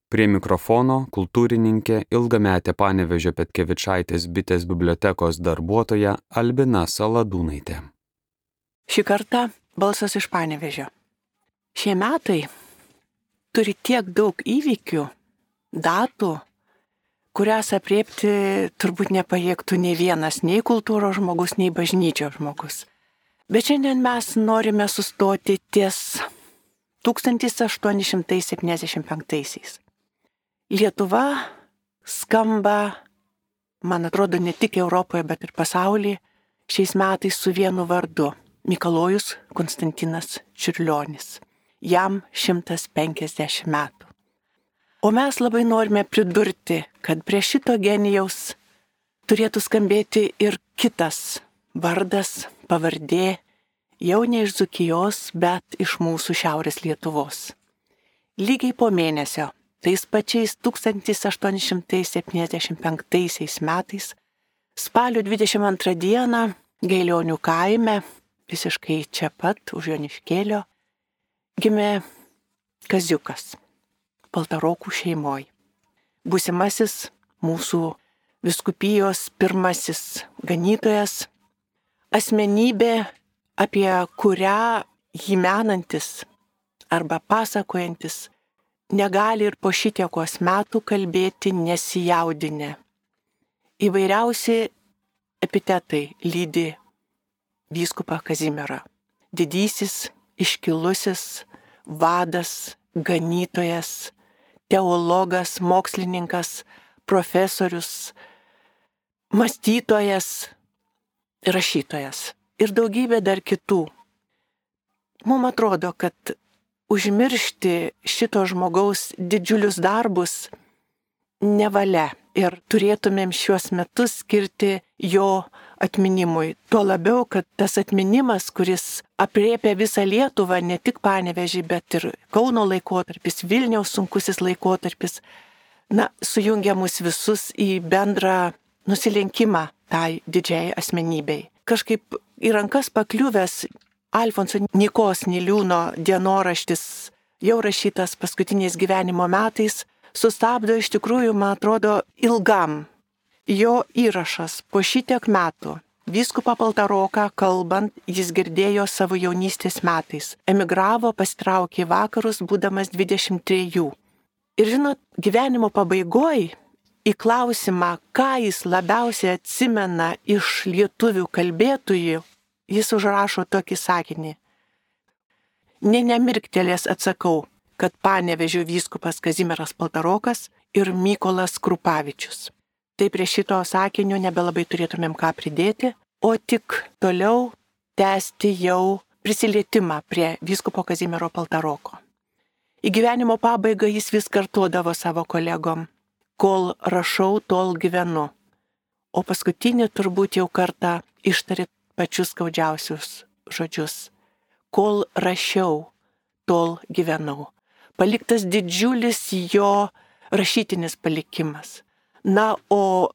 Prie mikrofono kultūrininkė ilgametė Panevėžio Petkevičaitės bitės bibliotekos darbuotoja Albina Saladūnaitė. Šį kartą balsas iš Panevėžio. Šie metai turi tiek daug įvykių, datų, kurias apriepti turbūt nepajėgtų nei vienas, nei kultūros žmogus, nei bažnyčios žmogus. Bet šiandien mes norime sustoti ties 1875-aisiais. Lietuva skamba, man atrodo, ne tik Europoje, bet ir pasaulyje šiais metais su vienu vardu – Mikalojus Konstantinas Čiurlionis. Jam 150 metų. O mes labai norime pridurti, kad prie šito genijaus turėtų skambėti ir kitas vardas, pavardė, jau ne iš Dzūkijos, bet iš mūsų šiaurės Lietuvos. Lygiai po mėnesio, tais pačiais 1875 metais, spalio 22 dieną, Gailionių kaime, visiškai čia pat, už Joniškėlio, gimė Kaziukas, Paltarokų šeimoj. Būsimasis mūsų vyskupijos pirmasis ganytojas, asmenybė, apie kurią jį menantis arba pasakojantis negali ir po šitiekos metų kalbėti nesijaudinę. Įvairiausi epitetai lydi vyskupą Kazimierą. Didysis, iškilusis, vadas, ganytojas, teologas, mokslininkas, profesorius, mąstytojas, rašytojas ir daugybė dar kitų. Mums atrodo, kad užmiršti šito žmogaus didžiulius darbus nevalia ir turėtumėm šiuos metus skirti jo atminimui. Tuo labiau, kad tas atminimas, kuris apriepia visą Lietuvą, ne tik Panevėžį, bet ir Kauno laikotarpis, Vilniaus sunkusis laikotarpis, sujungia mus visus į bendrą nusilenkimą tai didžiai asmenybei. Kažkaip į rankas pakliuvęs Alfonso Nykos Niliūno dienoraštis, jau rašytas paskutiniais gyvenimo metais, sustabdo iš tikrųjų, man atrodo, ilgam. Jo įrašas po šitiek metų, vyskupą Paltaroką kalbant, jis girdėjo savo jaunystės metais. Emigravo, pasitraukė į vakarus, būdamas 23. Ir žinot, gyvenimo pabaigoj į klausimą, ką jis labiausiai atsimena iš lietuvių kalbėtojų, jis užrašo tokį sakinį. Nemirktelės atsakau, kad Panevėžio vyskupas Kazimieras Paltarokas ir Mykolas Krupavičius. Tai prie šito sakinio nebelabai turėtumėm ką pridėti, o tik toliau tęsti jau prisilietimą prie vyskupo Kazimiero Paltaroko. Į gyvenimo pabaigą jis vis kartuodavo savo kolegom, kol rašau, tol gyvenu. O paskutinį turbūt jau kartą ištarė pačius skaudžiausius žodžius. Kol rašiau, tol gyvenau. Paliktas didžiulis jo rašytinis palikimas. O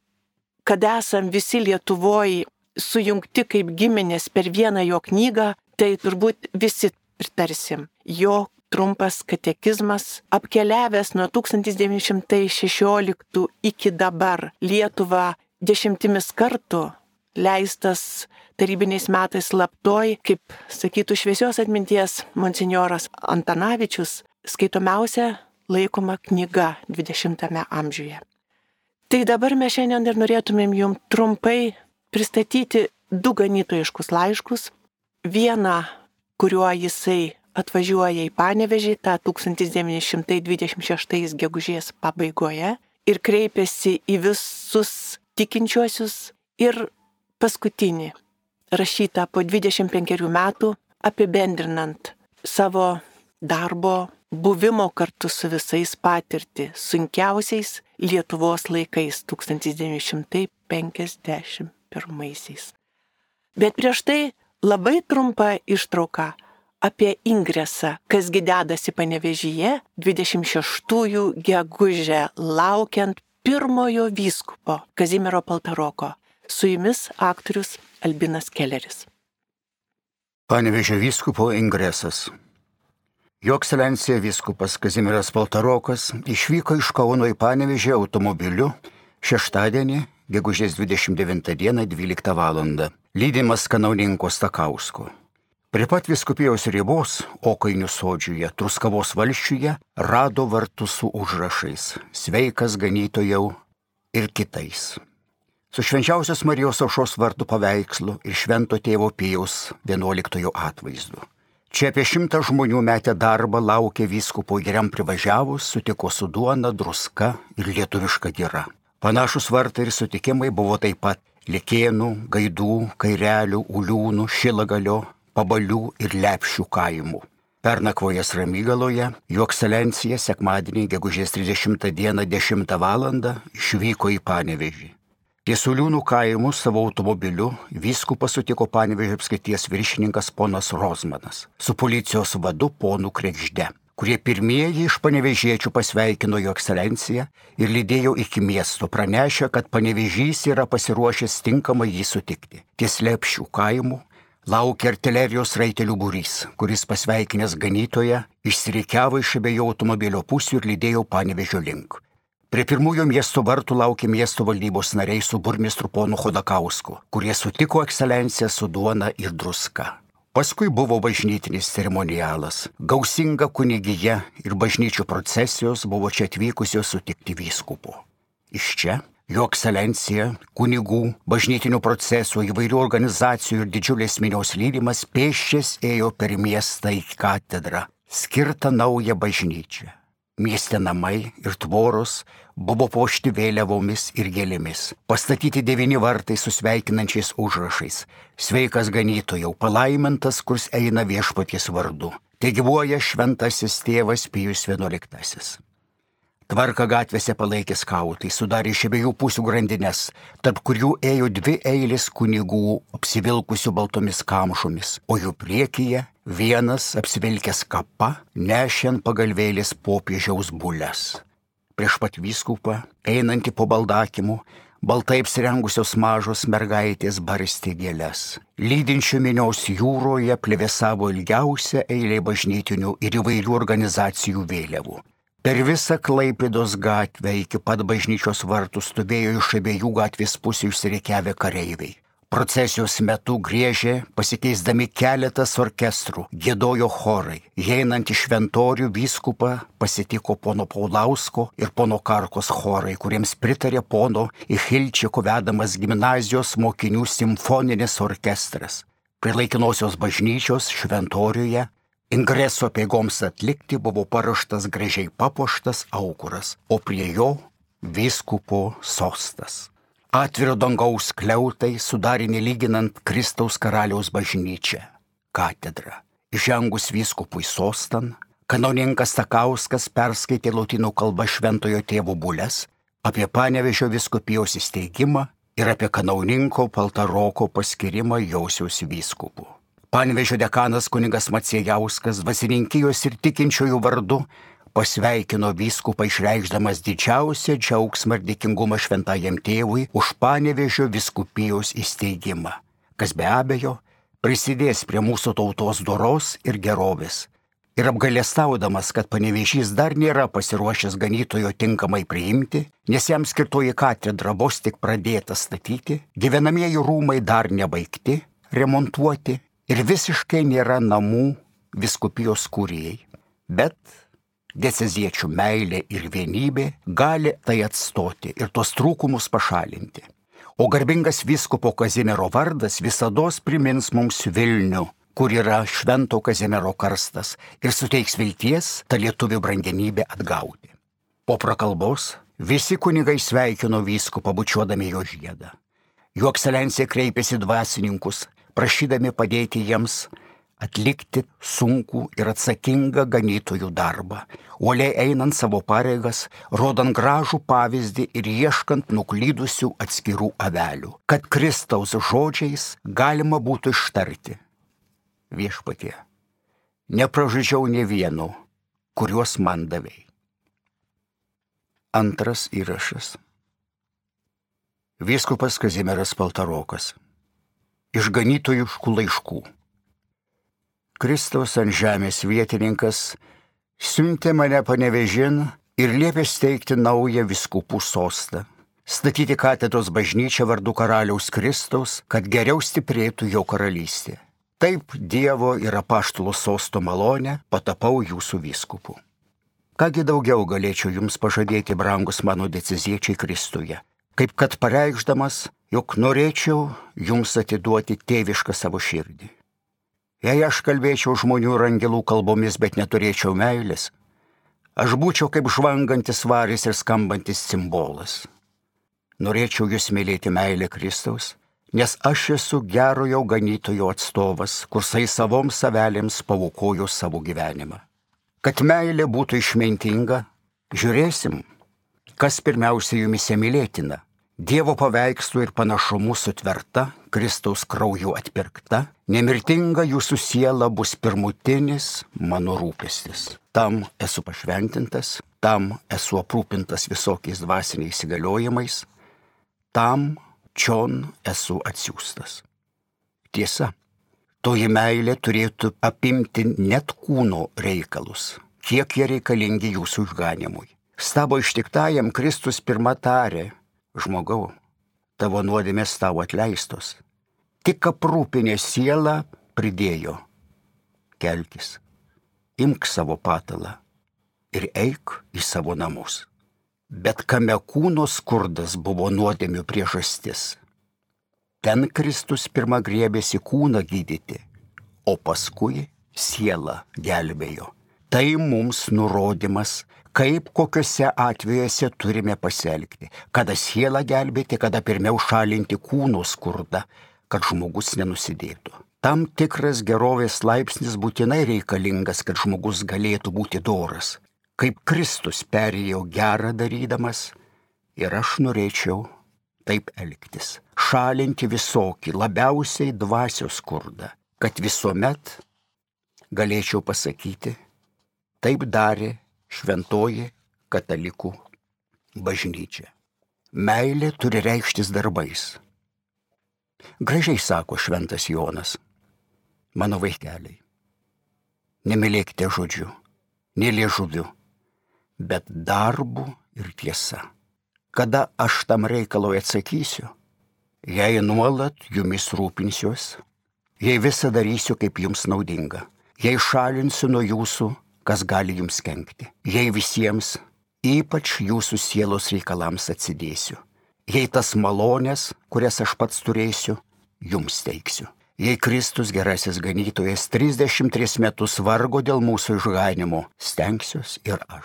kad esam visi Lietuvoje sujungti kaip giminės per vieną jo knygą, tai turbūt visi pritarsim. Jo trumpas katekizmas, apkeliavęs nuo 1916 iki dabar Lietuvą 10 kartų, leistas tarybiniais metais slaptoj, kaip sakytų šviesios atminties monsinjoras Antanavičius, skaitomiausia laikoma knyga 20 amžiuje. Tai dabar mes šiandien ir norėtumėm jums trumpai pristatyti 2 ganytojiškus laiškus. Vieną, kuriuo jisai atvažiuoja į Panevėžį tą 1926 gegužės pabaigoje ir kreipiasi į visus tikinčiuosius, ir paskutinį, rašytą po 25 metų, apibendrinant savo darbo, buvimo kartu su visais patirtį sunkiausiais Lietuvos laikais 1951. Bet prieš tai labai trumpa ištrauka apie ingresą, kasgi dedasi Panevėžyje 26 gegužę, laukiant pirmojo vyskupo Kazimiero Paltaroko. Su jumis aktorius Albinas Kelleris. Panevėžio vyskupo ingresas. Jo ekscelencija vyskupas Kazimieras Paltarokas išvyko iš Kauno į Panevėžį automobiliu šeštadienį, gegužės 29 dieną 12 val. Lydimas kanauninko Stakausko. Prie pat vyskupijos ribos, Okainių sodžiuje, Truskavos valsčiuje, rado vartus su užrašais "Sveikas ganytojau" ir kitais. Su Švenčiausios Marijos Aušros vartų paveikslu ir Švento tėvo Pijaus XI atvaizdu. Čia apie 100 žmonių metę darbą laukė vyskupo ir jam privažiavus, sutiko su duona, druska ir lietuviška gira. Panašus vartai ir sutikimai buvo taip pat Likėnų, Gaidų, Kairelių, Uliūnų, Šilagalio, Pabalių ir Lepšių kaimų. Pernakvojęs Ramygaloje, jo ekscelencija sekmadienį gegužės 30 dieną 10 val. Išvyko į Panevėžį. Ties Uliūnų kaimų savo automobiliu vyskupą sutiko Panevėžio apskrities viršininkas ponas Rozmanas su policijos vadu ponu Kregžde, kurie pirmieji iš panevėžiečių pasveikino jo ekscelenciją ir lydėjo iki miesto, pranešė, kad Panevėžys yra pasiruošęs tinkamai jį sutikti. Ties Lepšių kaimų laukia artilerijos raitelių būrys, kuris pasveikinęs ganytoją išsirikiavo iš abiejų automobilio pusių ir lydėjo Panevėžio link. Prie pirmųjų miesto vartų laukė miesto valdybos nariai su burmistru ponu Chodakausku, kurie sutiko ekscelenciją su duona ir druska. Paskui buvo bažnytinis ceremonialas, gausinga kunigija ir bažnyčių procesijos buvo čia atvykusios sutikti vyskupo. Iš čia jo ekscelencija, kunigų, bažnytinių procesų, įvairių organizacijų ir didžiulės minios lydimas pėsčias ėjo per miestą į katedrą, skirtą naują bažnyčią. Mieste namai ir tvoros buvo puošti vėliavomis ir gėlėmis. Pastatyti 9 vartai su sveikinančiais užrašais. Sveikas ganytojau, palaimintas, kurs eina viešpaties vardu. Tegyvuoja šventasis tėvas Pijus XI. Tvarką gatvėse palaikė skautai, sudarė iš abiejų pusių grandines, tarp kurių ėjo 2 eilės kunigų apsivilkusių baltomis kamšomis, o jų priekyje vienas apsivilkęs kapa nešė ant pagalvėlės popiežiaus bules. Prieš pat vyskupą, einantį po baldakimu, baltai apsirengusios mažos mergaitės barstė gėles. Lydinčių minios jūroje plevėsavo ilgiausia eilė bažnytinių ir įvairių organizacijų vėliavų. Per visą Klaipėdos gatvę iki pat bažnyčios vartų stovėjo iš abiejų gatvės pusių išsirikiavę kareiviai. Procesijos metu griežė, pasikeisdami keletas orkestrų, giedojo chorai. Einant iš šventorių vyskupą pasitiko pono Paulausko ir pono Karkos chorai, kuriems pritarė pono Ichilčiko vedamas gimnazijos mokinių simfoninis orkestras. Prie laikinosios bažnyčios šventoriuje ingreso apeigoms atlikti buvo paruoštas gražiai papuoštas aukuras, o prie jo vyskupo sostas. Atviro dangaus skliautai sudarė nelyginant Kristaus karaliaus bažnyčią, katedrą. Įžengus vyskupui sostan, kanauninkas Stakauskas perskaitė lotynų kalba šventojo tėvo bules apie Panevėžio vyskupijos įsteigimą ir apie kanauninko Paltaroko paskirimą Josiaus vyskupu. Panevėžio dekanas kunigas Maciejauskas dvasininkijos ir tikinčiųjų vardu pasveikino vyskupą išreikšdamas didžiausią džiaugsmą ir dėkingumą šventajam tėvui už Panevėžio vyskupijos įsteigimą, kas be abejo prisidės prie mūsų tautos doros ir gerovės. Ir apgailestaudamas, kad Panevėžys dar nėra pasiruošęs ganytojo tinkamai priimti, nes jam skirtoji katedra vos tik pradėta statyti, gyvenamieji rūmai dar nebaigti, remontuoti ir visiškai nėra namų vyskupijos kurijai. Bet dieceziečių meilė ir vienybė gali tai atstoti ir tos trūkumus pašalinti. O garbingas vyskupo Kazimiero vardas visados primins mums Vilnių, kur yra Švento Kazimiero karstas ir suteiks vilties tą lietuvių brangenybę atgauti. Po prakalbos visi kunigai sveikino vyskupą bučiuodami jo žiedą. Jo ekscelencija kreipėsi dvasininkus, prašydami padėti jiems atlikti sunkų ir atsakingą ganytojų darbą, uoliai einant savo pareigas, rodant gražų pavyzdį ir ieškant nuklydusių atskirų avelių, kad Kristaus žodžiais galima būtų ištarti: Viešpatie, nepražudžiau nė vieno, kuriuos man davei. Antras įrašas. Vyskupas Kazimieras Paltarokas. Iš ganytojiškų laiškų. Kristaus ant žemės vietininkas siuntė mane Panevėžin ir liepė steigti naują vyskupų sostą, statyti katedros bažnyčią vardu karaliaus Kristaus, kad geriau stiprėtų jo karalystė. Taip Dievo ir apaštalo sosto malonę patapau jūsų vyskupu. Kągi daugiau galėčiau jums pažadėti, brangus mano deceziečiai Kristuje, kaip kad pareikšdamas, jog norėčiau jums atiduoti tėvišką savo širdį. Jei aš kalbėčiau žmonių ir angelų kalbomis, bet neturėčiau meilės, aš būčiau kaip žvangantis varis ir skambantis cimbolas. Norėčiau jūs mylėti meilę Kristaus, nes aš esu gerojo ganytojo atstovas, kursai savoms savelėms paukojo savo gyvenimą. Kad meilė būtų išmintinga, žiūrėsim, kas pirmiausia jumise mylėtina. Dievo paveikslų ir panašumų sutverta, Kristaus krauju atpirkta, nemirtinga jūsų siela bus pirmutinis mano rūpestis. Tam esu pašventintas, tam esu aprūpintas visokiais dvasiniais įgaliojimais, tam čion esu atsiųstas. Tiesa, toji meilė turėtų apimti net kūno reikalus, kiek jie reikalingi jūsų išganimui. Stabo ištiktajam Kristus pirma tarė: žmogau, tavo nuodėmės tavo atleistos. Tik aprūpinė sielą pridėjo: kelkis, imk savo patalą ir eik į savo namus. Bet kame kūno skurdas buvo nuodėmių priežastis. Ten Kristus pirma griebėsi kūną gydyti, o paskui sielą gelbėjo. Tai mums nurodymas, kaip kokiuose atvejuose turime pasielgti, kada sielą gelbėti, kada pirmiau šalinti kūno skurdą, kad žmogus nenusidėtų. Tam tikras gerovės laipsnis būtinai reikalingas, kad žmogus galėtų būti doras. Kaip Kristus perėjo gerą darydamas, ir aš norėčiau taip elgtis, šalinti visokį, labiausiai dvasios skurdą, kad visuomet galėčiau pasakyti: taip darė šventoji katalikų bažnyčia. Meilė turi reikštis darbais. Gražiai sako šventas Jonas: mano vaikeliai, nemylėkite žodžiu, nė liežuviu, bet darbu ir tiesa. Kada aš tam reikalui atsakysiu, jei nuolat jumis rūpinsiuos, jei visą darysiu kaip jums naudinga, jei šalinsiu nuo jūsų, kas gali jums kenkti, jei visiems, ypač jūsų sielos reikalams atsidėsiu, jei tas malonės, kurias aš pats turėsiu, jums teiksiu. Jei Kristus gerasis ganytojas 33 metus vargo dėl mūsų išganimo, stengsiuos ir aš.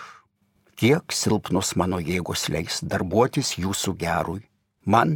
Kiek silpnos mano jėgos leis darbuotis jūsų gerui, man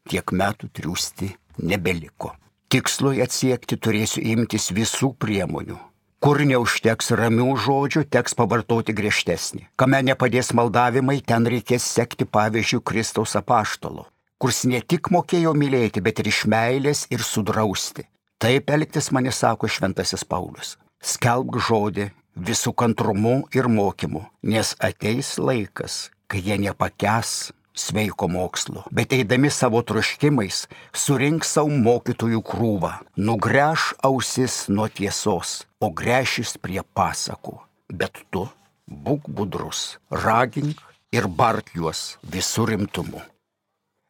tiek metų triūsti nebeliko. Tikslui atsiekti turėsiu imtis visų priemonių. Kur neužteks ramių žodžių, teks pavartoti griežtesnį. Kame nepadės maldavimai, ten reikės sekti pavyzdžių Kristaus apaštalo, kurs ne tik mokėjo mylėti, bet ir iš meilės ir sudrausti. Taip elgtis mane sako šventasis Paulius. Skelbk žodį visų kantrumu ir mokymu, nes ateis laikas, kai jie nepakęs sveiko mokslo, bet eidami savo troškimais surink savo mokytojų krūvą, nugręš ausis nuo tiesos, o gręšis prie pasakų. Bet tu būk budrus, ragink ir bark juos visų rimtumu.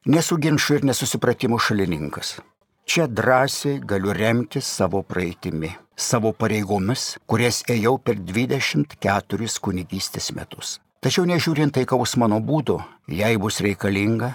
Nesu ginčų ir nesusipratimų šalininkas. Čia drąsiai galiu remtis savo praeitimi, savo pareigomis, kurias ėjau per 24 kunigystės metus. Tačiau nežiūrint taikaus mano būdo, jei bus reikalinga,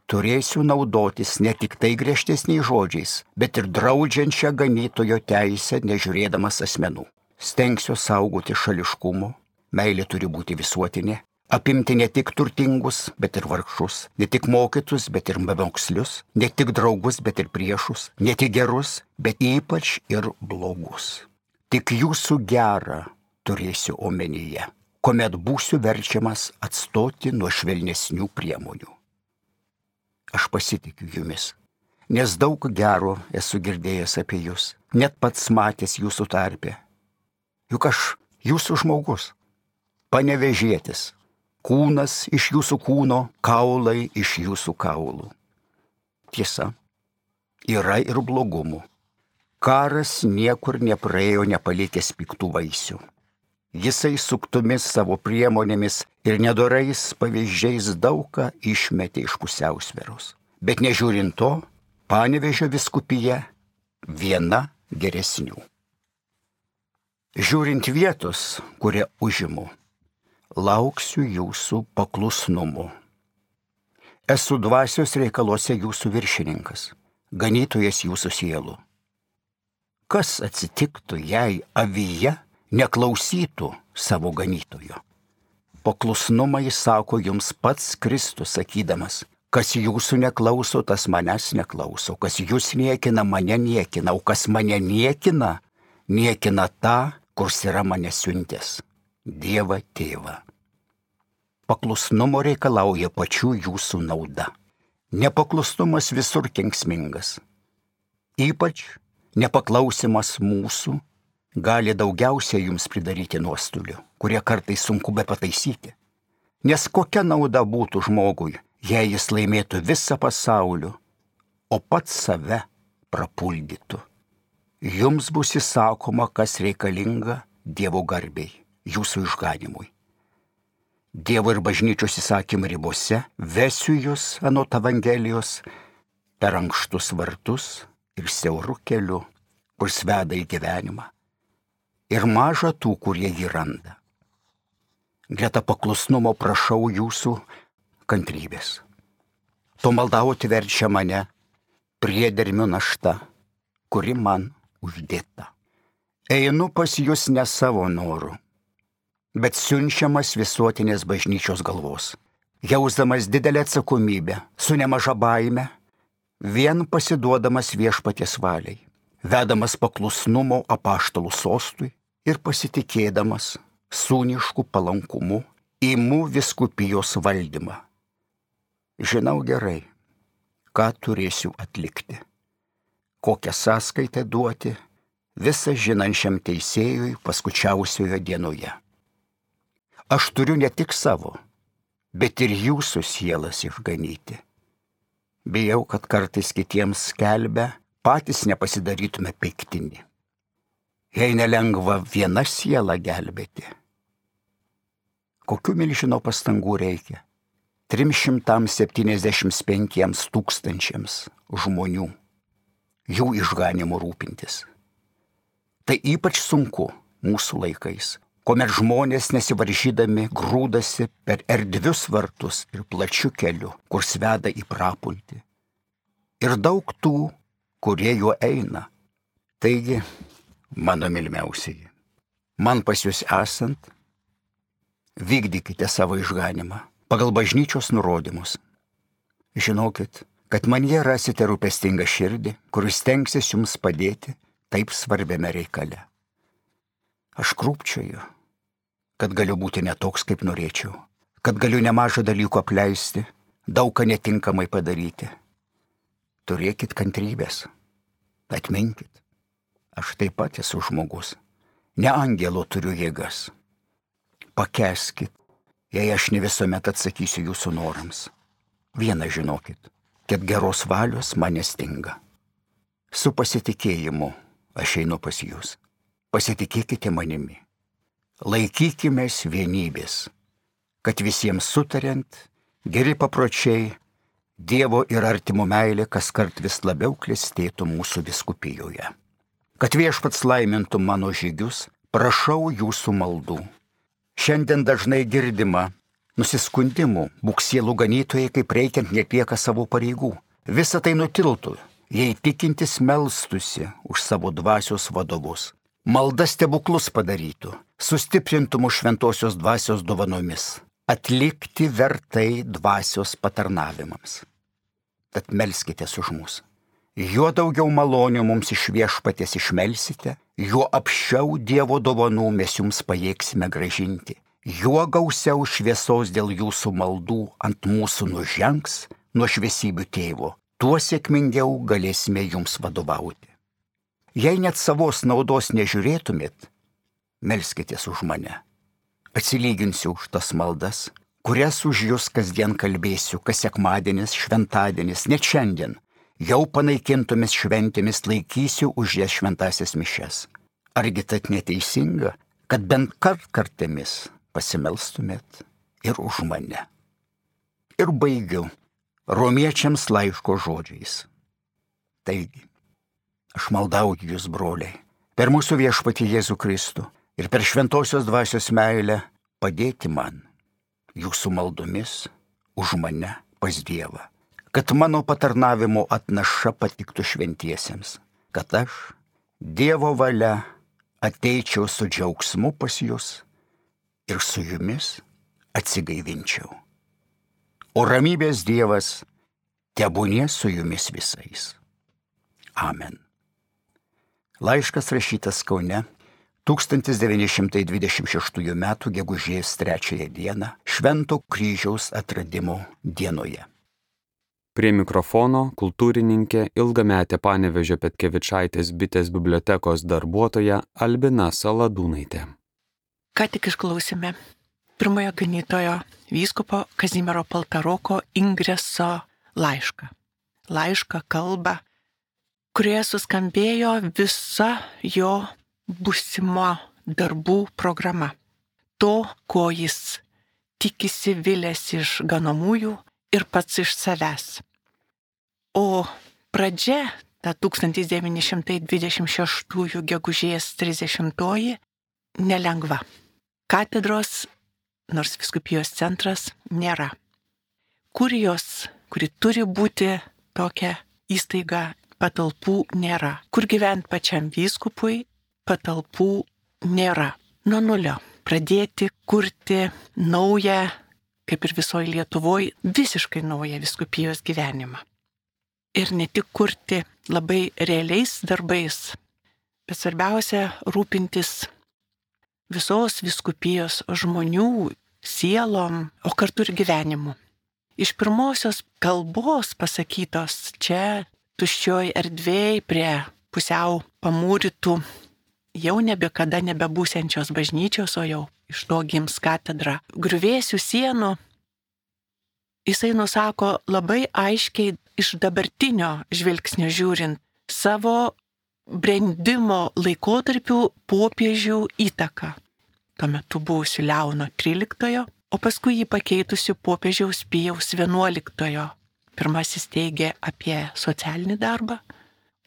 turėsiu naudotis ne tik tai griežtesniais žodžiais, bet ir draudžiančią ganytojo teisę nežiūrėdamas asmenų. Stengsiu saugoti šališkumo, meilė turi būti visuotinė, apimti ne tik turtingus, bet ir vargšus, ne tik mokytus, bet ir bemokslius, ne tik draugus, bet ir priešus, ne tik gerus, bet ypač ir blogus. Tik jūsų gerą turėsiu omenyje, kuomet būsiu verčiamas atstoti nuo švelnesnių priemonių. Aš pasitikiu jumis, nes daug gero esu girdėjęs apie jūs, net pats matęs jūsų tarpe. Juk aš jūsų žmogus, panevėžietis, kūnas iš jūsų kūno, kaulai iš jūsų kaulų. Tiesa, yra ir blogumų, Karas niekur nepraėjo nepalikęs piktų vaisių. Jisai suktomis savo priemonėmis ir nedorais pavyzdžiais daugą išmetė iš pusiausvyros. Bet nežiūrint to, Panevėžio vyskupija viena geresnių. Žiūrint vietos, kurią užimu, lauksiu jūsų paklusnumu. Esu dvasios reikaluose jūsų viršininkas, ganytojas jūsų sielų. Kas atsitiktų, jei avyje neklausytų savo ganytojo? Paklusnumą jis sako jums pats Kristus, sakydamas, kas jūsų neklauso, tas manęs neklauso, kas jūs niekina, mane niekina, o kas mane niekina, niekina tą, kurs yra mane siuntęs, Dievą Tėvą. Paklusnumo reikalauja pačių jūsų nauda. Nepaklusnumas visur kenksmingas. Ypač nepaklausimas mūsų gali daugiausiai jums pridaryti nuostolių, kurie kartais sunku be pataisyti. Nes kokia nauda būtų žmogui, jei jis laimėtų visą pasaulį, o pats save prapuldytų. Jums bus įsakoma, kas reikalinga Dievo garbei, jūsų išganimui. Dievo ir bažnyčios įsakymų ribose vesiu jūs anot Evangelijos per ankštus vartus ir siaurų keliu, kur veda į gyvenimą. Ir maža tų, kurie jį randa. Greta paklusnumo prašau jūsų kantrybės. To maldauti verčia mane priedermių našta, kuri man uždėta. Einu pas jūs ne savo noru, bet siunčiamas visuotinės bažnyčios galvos, jausdamas didelę atsakomybę, su nemaža baime, vien pasiduodamas viešpaties valiai, vedamas paklusnumo apaštalų sostui ir pasitikėdamas sūnišku palankumu imu vyskupijos valdymą. Žinau gerai, ką turėsiu atlikti, kokią sąskaitą duoti visą žinančiam teisėjui paskučiausioje dienoje. Aš turiu ne tik savo, bet ir jūsų sielas išganyti. Bijau, kad kartais kitiems skelbia, patys nepasidarytume piktinį. Jei nelengva viena siela gelbėti, kokių milžino pastangų reikia 375 000 žmonių, jų išganimu rūpintis. Tai ypač sunku mūsų laikais, kuomet žmonės nesivaržydami grūdasi per erdvius vartus ir plačių kelių, kur veda į prapultį. Ir daug tų, kurie juo eina. Taigi, mano mylimiausieji, man pas jūs esant, vykdykite savo išganimą pagal bažnyčios nurodymus. Žinokit, kad manyje rasite rūpestingą širdį, kuris stengsis jums padėti taip svarbiame reikale. Aš krūpčioju, kad galiu būti netoks, kaip norėčiau, kad galiu nemažą dalykų apleisti, daug ką netinkamai padaryti. Turėkit kantrybės, atminkit, aš taip pat esu žmogus, ne angelo turiu jėgas. Pakęskit, jei aš ne visuomet atsakysiu jūsų norams. Vieną žinokit, kad geros valios man nestinga. Su pasitikėjimu aš einu pas jūs. Pasitikėkite manimi. Laikykimės vienybės, kad visiems sutariant, geri papročiai, Dievo ir artimo meilė kaskart vis labiau klestėtų mūsų vyskupijoje. Kad viešpats laimintų mano žygius, prašau jūsų maldų. Šiandien dažnai girdima nusiskundimų, būk sielų ganytojai, kaip reikiant netlieka savo pareigų. Visa tai nutiltų, jei tikintis melstusi už savo dvasios vadovus. Malda stebuklus padarytų, sustiprintų mūsų šventosios dvasios dovanomis, atlikti vertai dvasios patarnavimams. Tad melskitės už mus. Juo daugiau malonių mums iš viešpaties išmelsite, juo apsčiau Dievo dovanų mes jums pajėgsime gražinti. Juo gausiau šviesos dėl jūsų maldų ant mūsų nužengs nuo šviesybių tėvo, tuo sėkmingiau galėsime jums vadovauti. Jei net savos naudos nežiūrėtumėt, melskitės už mane. Atsilyginsiu už tas maldas, kurias už jūs kasdien kalbėsiu, kas sekmadienis, šventadienis, net šiandien, jau panaikintomis šventėmis laikysiu už jas šventasias mišias. Argi tad neteisinga, kad bent kartkartėmis pasimelstumėt ir už mane. Ir baigiu romiečiams laiško žodžiais. Taigi, aš maldauju jūs, broliai, per mūsų viešpatį Jėzų Kristų ir per šventosios dvasios meilę padėti man, jūsų maldomis, už mane pas Dievą, kad mano patarnavimo atnaša patiktų šventiesiems, kad aš, Dievo valia, ateičiau su džiaugsmu pas jūs ir su jumis atsigaivinčiau. O ramybės Dievas tebūnie su jumis visais. Amen. Laiškas rašytas Kaune 1926 m. gegužės 3 dieną Švento kryžiaus atradimo dienoje. Prie mikrofono kultūrininkė, ilgametė Panevėžio Petkevičaitės bitės bibliotekos darbuotoja Albina Saladūnaitė. Ką tik išklausėme pirmojo ganytojo vyskupo Kazimiero Paltaroko Ingreso laišką. Laišką, kalbą, kurioje suskambėjo visa jo būsimo darbų programa. To, ko jis tikisi, vilėsi iš ganomųjų ir pats iš savęs. O pradžia, ta 1926 gegužės 30 nelengva. Katedros, nors vyskupijos centras, nėra. Kurijos, kuri turi būti tokia įstaiga, patalpų nėra. Kur gyventi pačiam vyskupui, patalpų nėra. Nuo nulio pradėti kurti naują, kaip ir visoje Lietuvoje, visiškai naują vyskupijos gyvenimą. Ir ne tik kurti labai realiais darbais, bet svarbiausia rūpintis visos vyskupijos žmonių sielom, o kartu ir gyvenimu. Iš pirmosios kalbos pasakytos čia tuščioj erdvėj prie pusiau pamūrytų, jau nebekada nebebūsiančios bažnyčios, o jau iš to gims katedra, griuvėsių sienų, jisai nusako labai aiškiai iš dabartinio žvilgsnio žiūrint savo brendimo laikotarpių popiežių įtaką. Tuo metu buvusiu Leono XIII, o paskui jį pakeitusiu popiežiaus Pijaus XI. Pirmasis teigė apie socialinį darbą,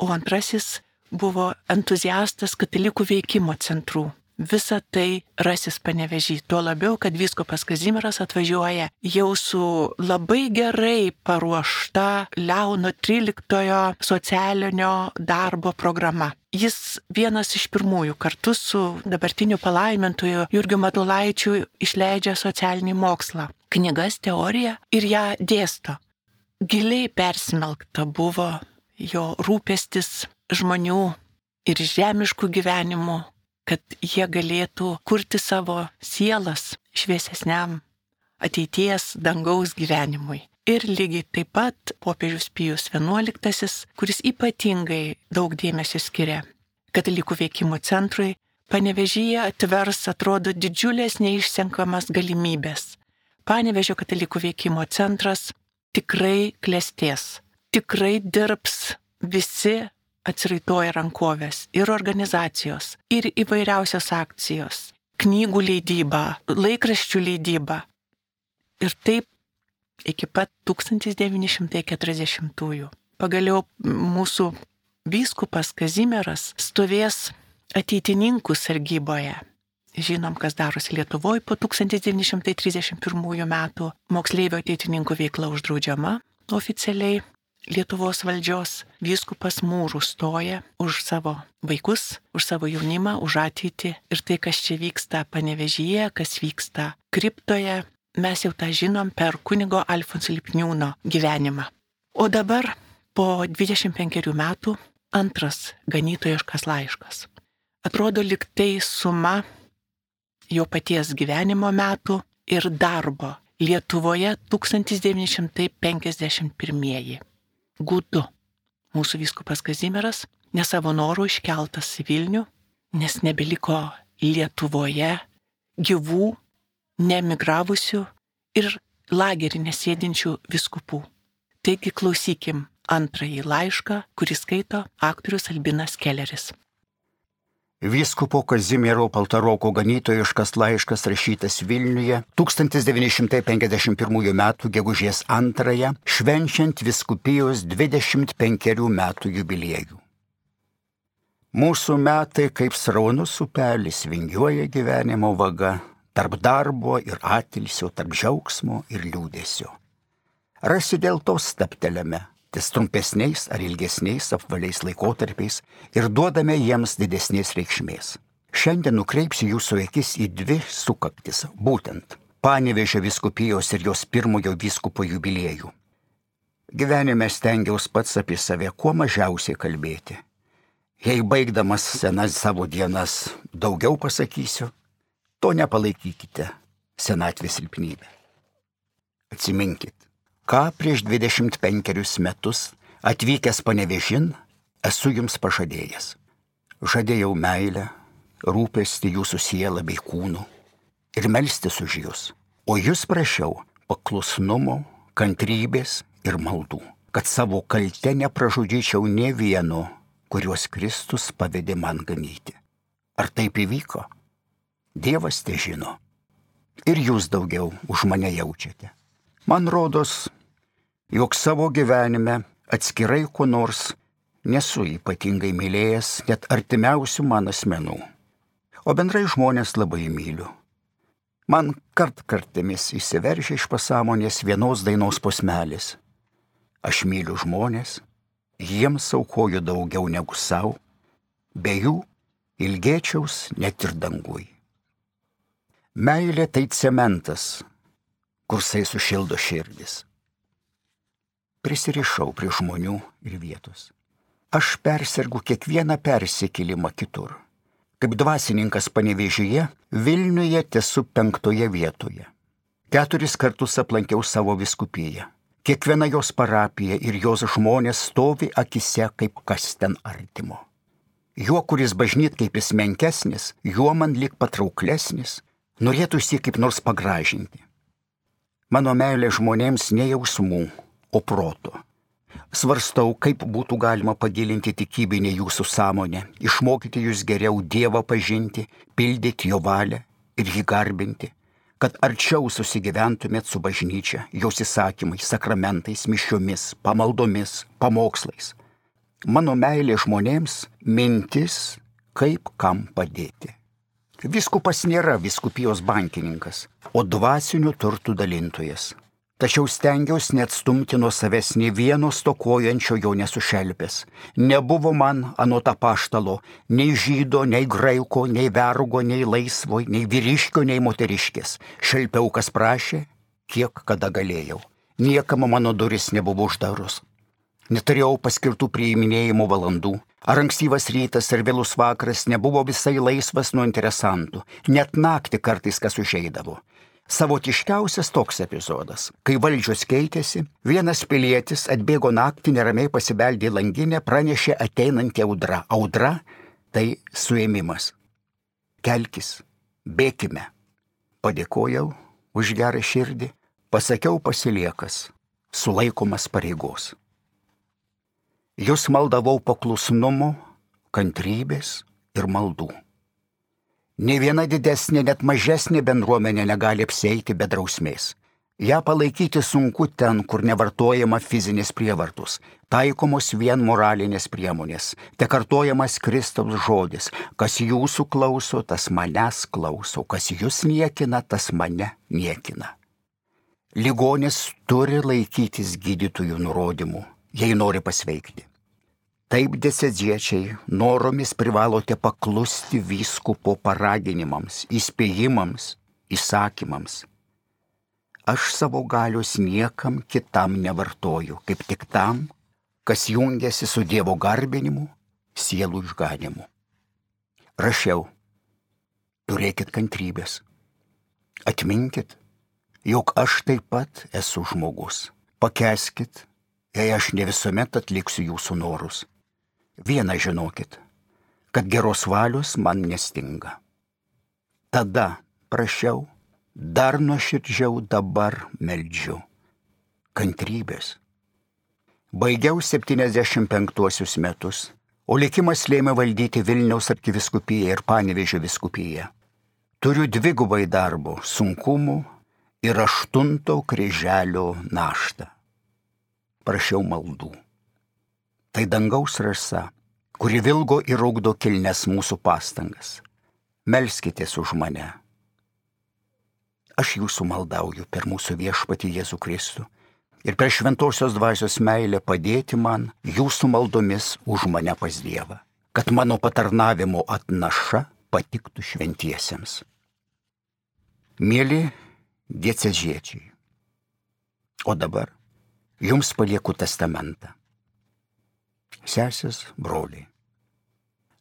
o antrasis buvo entuziastas katalikų veikimo centrų. Visa tai rasis Panevėžy, tuo labiau, kad vyskupas Kazimieras atvažiuoja jau su labai gerai paruošta Leono XIII socialinio darbo programa. Jis vienas iš pirmųjų kartu su dabartiniu palaimintoju Jurgiu Matulaičiu išleidžia socialinį mokslą, knygas, teoriją ir ją dėsto. Giliai persmelkta buvo jo rūpestis žmonių ir žemiškų gyvenimų, kad jie galėtų kurti savo sielas šviesesniam ateities dangaus gyvenimui. Ir lygiai taip pat popiežius Pijus XI, kuris ypatingai daug dėmesio skiria katalikų veikimo centrui, Panevėžyje atvers, atrodo, didžiulės neišsenkamas galimybės. Panevėžio katalikų veikimo centras tikrai klestės, tikrai dirbs visi atsiraitoja rankovės ir organizacijos, ir įvairiausios akcijos, knygų leidyba, laikraščių leidyba. Ir taip iki pat 1940-ųjų. Pagaliau mūsų vyskupas Kazimieras stovės ateitininkų sargyboje. Žinom, kas darosi Lietuvoje po 1931 metų. Moksleivio ateitininkų veikla uždraudžiama oficialiai. Lietuvos valdžios vyskupas mūrų stoja už savo vaikus, už savo jaunimą, už ateitį. Ir tai, kas čia vyksta Panevėžyje, kas vyksta kriptoje, mes jau tą žinom per kunigo Alfonso Lipniūno gyvenimą. O dabar, po 25 metų, antras ganytojiškas laiškas. Atrodo, lyg tai suma jo paties gyvenimo metų ir darbo Lietuvoje 1951. Gūdu. Mūsų vyskupas Kazimieras ne savo norų iškeltas į Vilnių, nes nebeliko Lietuvoje gyvų, neemigravusių ir lagerį nesėdinčių vyskupų. Taigi klausykim antrąjį laišką, kurį skaito aktorius Albinas Kelleris. Vyskupo Kazimiero Paltaroko ganytojiškas laiškas rašytas Vilniuje 1951 m. gegužės 2, švenčiant vyskupijos 25 metų jubiliejų. Mūsų metai kaip sraunus upelis vingiuoja gyvenimo vaga, tarp darbo ir atilsio, tarp džiaugsmo ir liūdesio. Rasi dėl to stabtelėme, ties trumpesniais ar ilgesniais apvaliais laikotarpiais ir duodame jiems didesnės reikšmės. Šiandien nukreipsiu jūsų akis į 2 sukaktis, būtent Panevėžio vyskupijos ir jos pirmojo vyskupo jubiliejų. Gyvenime stengiaus pats apie save kuo mažiausiai kalbėti. Jei baigdamas senas savo dienas daugiau pasakysiu, to nepalaikykite senatvės silpnybę. Atsiminkit, ką prieš 25 metus atvykęs Panevėžin esu jums pažadėjęs. Žadėjau meilę, rūpestį jūsų sielą bei kūnu ir melstis už jūs. O jūs prašiau paklusnumo, kantrybės ir maldų, kad savo kalte nepražudyčiau nė vieno, kuriuos Kristus pavedė man ganyti. Ar taip įvyko? Dievas te žino. Ir jūs daugiau už mane jaučiate. Man rodos, jog savo gyvenime atskirai ko nors nesu ypatingai mylėjęs net artimiausių man asmenų. O bendrai žmonės labai myliu. Man kartkartėmis įsiveržia iš pasąmonės vienos dainos posmelis. Aš myliu žmonės, jiems aukoju daugiau negu savo, be jų ilgėčiaus net ir dangui. Meilė tai cementas, kursai sušildo širdis. Prisirišau prie žmonių ir vietos. Aš persergu kiekvieną persikėlimą kitur. Kaip dvasininkas Panevėžyje, Vilniuje tesu 5 vietoje. 4 kartus aplankiau savo vyskupiją. Kiekviena jos parapija ir jos žmonės stovi akise kaip kas ten artimo. Juo, kuris bažnyt kaip jis menkesnis, juo man lyg patrauklesnis, norėtųsi kaip nors pagražinti. Mano meilė žmonėms ne jausmų, o proto. Svarstau, kaip būtų galima pagilinti tikybinę jūsų sąmonę, išmokyti jūs geriau Dievą pažinti, pildyti jo valią ir jį garbinti, kad arčiau susigyventumėt su bažnyčia, jos įsakymais, sakramentais, mišiomis, pamaldomis, pamokslais. Mano meilė žmonėms mintis, kaip kam padėti. Vyskupas nėra vyskupijos bankininkas, o dvasinių turtų dalintojas. Tačiau stengiausi neatstumti nuo savęs nei vieno stokojančio jo nesušelpęs. Nebuvo man anot apaštalo nei žydo, nei graiko, nei vergo, nei laisvo, nei vyriškio, nei moteriškės. Šelpiau, kas prašė, kiek kada galėjau. Niekam mano duris nebuvo uždarus. Neturėjau paskirtų priiminėjimo valandų. Ar ankstyvas rytas ar vėlus vakaras nebuvo visai laisvas nuo interesantų. Net naktį kartais kas užeidavo. Savotiškiausias toks epizodas. Kai valdžios keitėsi, vienas pilietis atbėgo naktį, neramiai pasibeldė į langinę, pranešė ateinantį audra. Audra – tai suėmimas. Kelkis, bėkime. Padėkojau už gerą širdį, pasakiau pasiliekas, sulaikomas pareigos. Jūs maldavau paklusnumo, kantrybės ir maldų. Nė viena didesnė, net mažesnė bendruomenė negali apsieiti be drausmės. Ja palaikyti sunku ten, kur nevartojama fizinės prievartos, taikomos vien moralinės priemonės, te kartojamas Kristaus žodis, kas jūsų klauso, tas manęs klauso, kas jūs niekina, tas mane niekina. Ligonis turi laikytis gydytojų nurodymų, jei nori pasveikti. Taip, dieceziečiai, noromis privalote paklusti vyskupo paraginimams, įspėjimams, įsakymams. Aš savo galios niekam kitam nevartoju, kaip tik tam, kas jungiasi su Dievo garbinimu, sielų išganimu. Rašiau, turėkit kantrybės. Atminkit, jog aš taip pat esu žmogus. Pakęskit, jei aš ne visuomet atliksiu jūsų norus. Vieną žinokit, kad geros valios man nestinga. Tada prašiau, dar nuoširdžiau dabar meldžiu. Kantrybės. Baigiau 75 metus, o likimas lėmė valdyti Vilniaus arkiviskupiją ir Panevėžio viskupiją. Turiu dvigubai darbo, sunkumų ir 8 kryželio naštą. Prašiau maldų. Tai dangaus rasa, kuri vilgo ir ugdo kilnes mūsų pastangas. Melskitės už mane. Aš jūsų maldauju per mūsų viešpatį Jėzų Kristų ir per šventosios dvasios meilę padėti man jūsų maldomis už mane pas Dievą, kad mano patarnavimo atnaša patiktų šventiesiems. Mieli dieceziečiai, o dabar jums palieku testamentą. Sesės, broliai,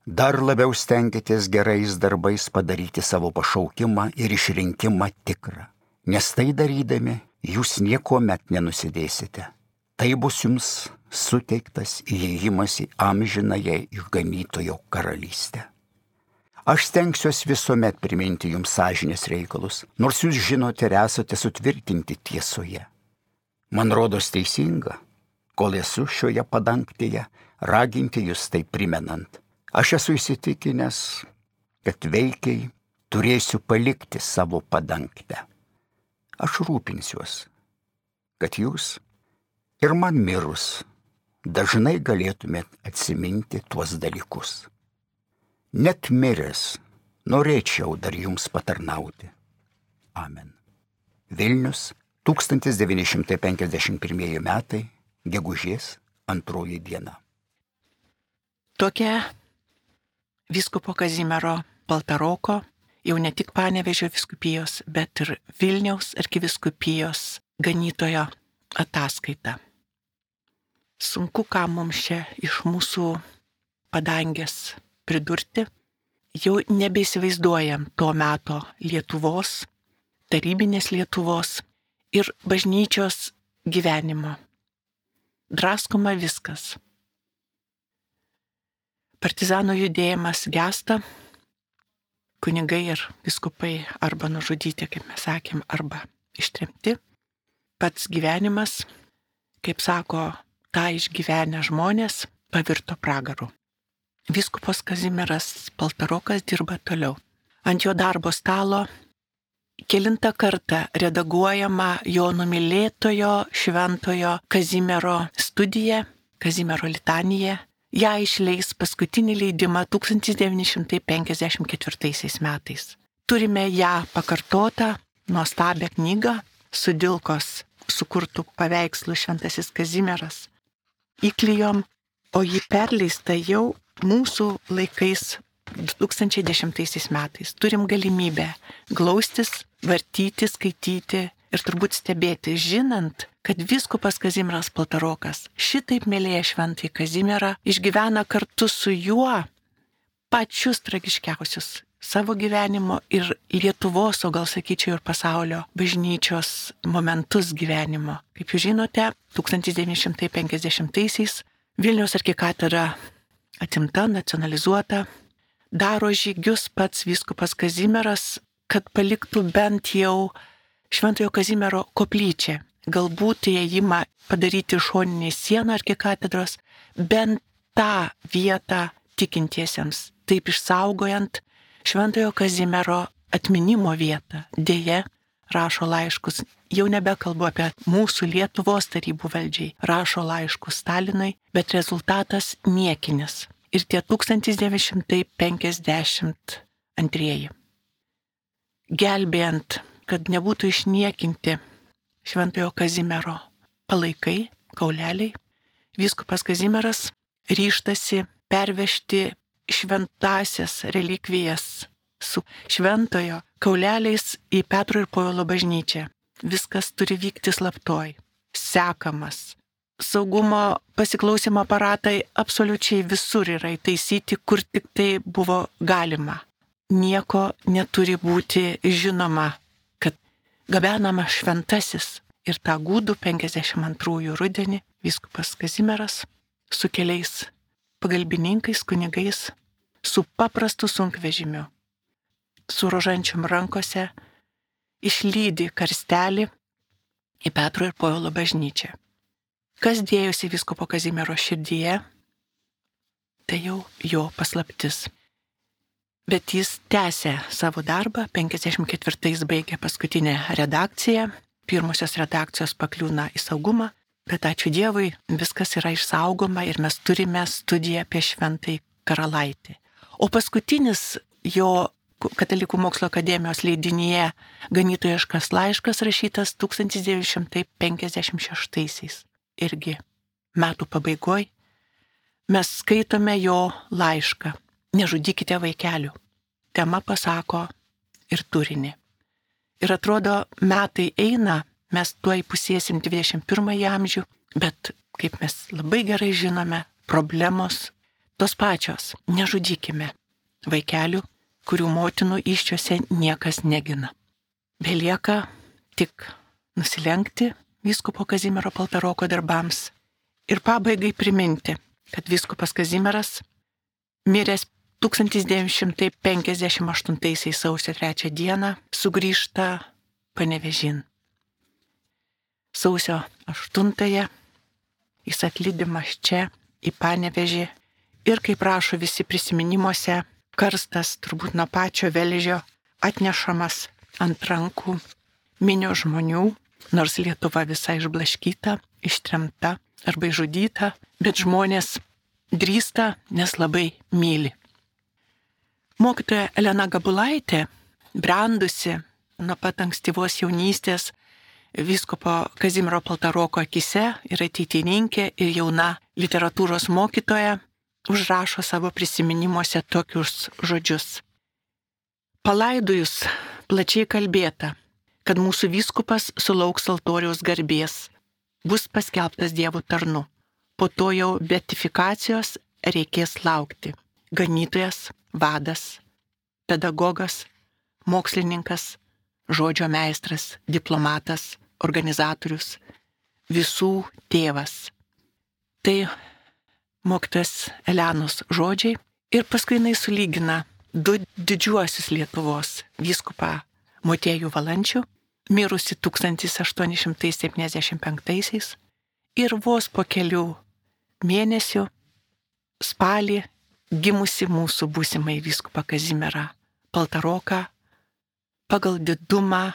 dar labiau stenkitės gerais darbais padaryti savo pašaukimą ir išrinkimą tikrą, nes tai darydami jūs niekuomet nenusidėsite. Tai bus jums suteiktas įėjimas į amžinąją išganytojo karalystę. Aš stengsiuosi visuomet priminti jums sąžinės reikalus, nors jūs žinote ir esate sutvirtinti tiesoje. Man rodos teisinga, kol esu šioje padangtėje, raginti jūs tai primenant. Aš esu įsitikinęs, kad veikiai turėsiu palikti savo padangtę. Aš rūpinsiuos, kad jūs ir man mirus dažnai galėtumėt atsiminti tuos dalykus. Net miręs norėčiau dar jums patarnauti. Amen. Vilnius, 1951 metai, gegužės 2 diena. Tokia vyskupo Kazimiero Paltaroko, jau ne tik Panevėžio vyskupijos, bet ir Vilniaus arkivyskupijos ganytojo ataskaita. Sunku, ką mums čia iš mūsų padangės pridurti. Jau nebeįsivaizduojam to meto Lietuvos, tarybinės Lietuvos ir bažnyčios gyvenimo. Draskoma viskas. Partizanų judėjimas gęsta, kunigai ir vyskupai arba nužudyti, kaip mes sakėm, arba ištremti. Pats gyvenimas, kaip sako, tą išgyvenę žmonės, pavirto pragaru. Vyskupas Kazimieras Paltarokas dirba toliau. Ant jo darbo stalo kelintą kartą redaguojama jo numylėtojo šventojo Kazimiero studija, Kazimiero litanija. Ja išleis paskutinį leidimą 1954 metais. Turime ją pakartotą, nuostabią knygą, Sudilkos sukurtų paveikslų Šventasis Kazimieras. Įklijom, o ji perleista jau mūsų laikais 2010 metais. Turim galimybę glaustis, vartyti, skaityti ir turbūt stebėti, žinant, kad vyskupas Kazimieras Paltarokas šitaip mylėjo šventąjį Kazimierą, išgyvena kartu su juo pačius tragiškiausius savo gyvenimo ir Lietuvos, o gal sakyčiau ir pasaulio bažnyčios momentus gyvenimo. Kaip jūs žinote, 1950-aisiais Vilniaus arkikatedra atimta, nacionalizuota, daro žygius pats vyskupas Kazimieras, kad paliktų bent jau Šventojo Kazimiero koplyčią. Galbūt įėjimą padaryti šoninį sieną arkikatedros, bent tą vietą tikintiesiems, taip išsaugojant Šventojo Kazimiero atminimo vietą. Deja, rašo laiškus, jau nebekalbu apie mūsų Lietuvos tarybų valdžiai, rašo laiškus Stalinui, bet rezultatas niekinis. Ir tie 1952. Gelbėjant, kad nebūtų išniekinti Šventojo Kazimiero palaikai, kauleliai, vyskupas Kazimieras ryžtasi pervežti šventąsias relikvijas su šventojo kauleliais į Petro ir Povilo bažnyčią. Viskas turi vykti slaptoj, sekamas. Saugumo pasiklausimo aparatai absoliučiai visur yra įtaisyti, kur tik tai buvo galima. Nieko neturi būti žinoma, kad gabenama šventasis. Ir tą gūdų 52 rudenį vyskupas Kazimieras su keliais pagalbininkais, kunigais, su paprastu sunkvežimiu, su rožančiom rankose, išlydi karstelį į Petro ir Povilo bažnyčią. Kas dėjosi vyskupo Kazimiero širdyje, tai jau jo paslaptis. Bet jis tęsė savo darbą, 54 baigė paskutinę redakciją, pirmosios redakcijos pakliūna į saugumą, bet ačiū Dievui, viskas yra išsaugoma ir mes turime studiją apie Šventąjį Karalaitį. O paskutinis jo Katalikų mokslo akademijos leidinyje Ganytojiškas laiškas rašytas 1956. Irgi metų pabaigoj mes skaitome jo laišką. Nežudykite vaikelių. Tema pasako ir turinį. Ir atrodo, metai eina, mes tuoj pusėsim 21 amžių, bet, kaip mes labai gerai žinome, problemos tos pačios. Nežudykime vaikelių, kurių motinų įsčiose niekas negina. Belieka tik nusilenkti vyskupo Kazimiero Paltaroko darbams ir pabaigai priminti, kad vyskupas Kazimieras miręs 1958 sausio 3 dieną sugrįžta Panevėžin. Sausio 8 jis atlydimas čia į Panevėžį ir, kaip rašo visi prisiminimuose, karstas turbūt nuo pačio Velžio atnešamas ant rankų minio žmonių, nors Lietuva visa išblaškyta, ištremta arba išžudyta, bet žmonės drįsta, nes labai myli. Mokytoja Elena Gabulaitė, brendusi nuo pat ankstyvos jaunystės vyskupo Kazimiero Paltaroko akise ir ateitininkė ir jauna literatūros mokytoja, užrašo savo prisiminimuose tokius žodžius. Palaidojus plačiai kalbėta, kad mūsų vyskupas sulauks altoriaus garbės, bus paskelbtas Dievo tarnu. Po to jau beatifikacijos reikės laukti. Ganytojas, vadas, pedagogas, mokslininkas, žodžio meistras, diplomatas, organizatorius, visų tėvas. Tai mokytojas Elenos žodžiai ir paskui jinai sulygina du didžiuosius Lietuvos vyskupą Motiejų Valančių, mirusi 1875 ir vos po kelių mėnesių spalį gimusi mūsų būsimai vyskupą Kazimierą Paltaroką pagal didumą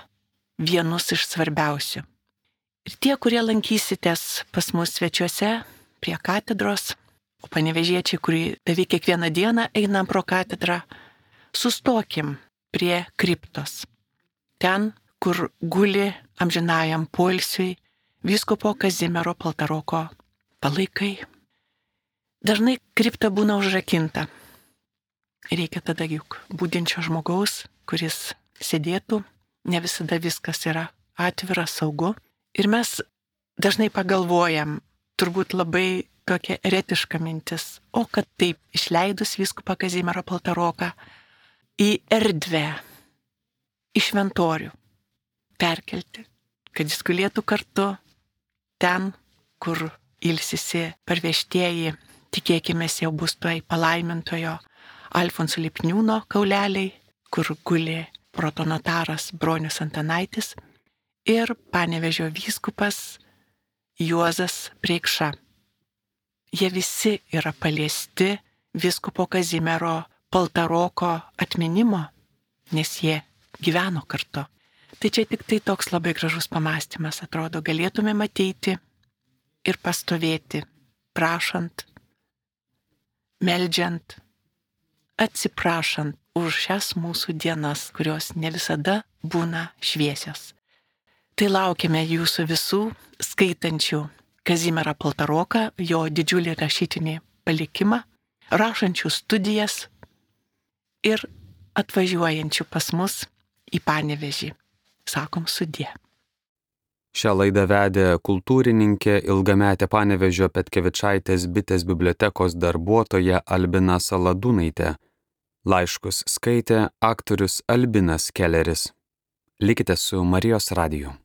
vienus iš svarbiausių. Ir tie, kurie lankysitės pas mus svečiuose prie katedros, o panevėžiečiai, kurie beveik kiekvieną dieną einam pro katedrą, sustokim prie kriptos. Ten, kur guli amžinajam poilsiui vyskupo Kazimiero Paltaroko palaikai. Dažnai kripta būna užrakinta. Reikia tada juk budinčio žmogaus, kuris sėdėtų, ne visada viskas yra atvira, saugu. Ir mes dažnai pagalvojam, turbūt labai tokia eretiška mintis, o kad taip išleidus vyskupą Kazimierą Paltaroką į erdvę, į šventorių perkelti, kad jis gulėtų kartu ten, kur ilsisi parvežtieji, tikėkime, jau bus tuoj palaimintojo Alfonso Lipniūno kauleliai, kur guli protonotaras Bronius Antanaitis ir Panevėžio vyskupas Juozas Preikša. Jie visi yra paliesti vyskupo Kazimiero Paltaroko atminimo, nes jie gyveno kartu. Tai čia tik tai toks labai gražus pamąstymas, atrodo, galėtume matyti ir pastovėti, prašant, meldžiant, atsiprašant už šias mūsų dienas, kurios ne visada būna šviesios. Tai laukiame jūsų visų skaitančių Kazimierą Paltaroką, jo didžiulį rašytinį palikimą, rašančių studijas ir atvažiuojančių pas mus į Panevėžį. Sakom sudie. Šią laidą vedė kultūrininkė, ilgametė Panevėžio Petkevičaitės bitės bibliotekos darbuotoja Albina Saladūnaitė. Laiškus skaitė aktorius Albinas Kelleris. Likite su Marijos radiju.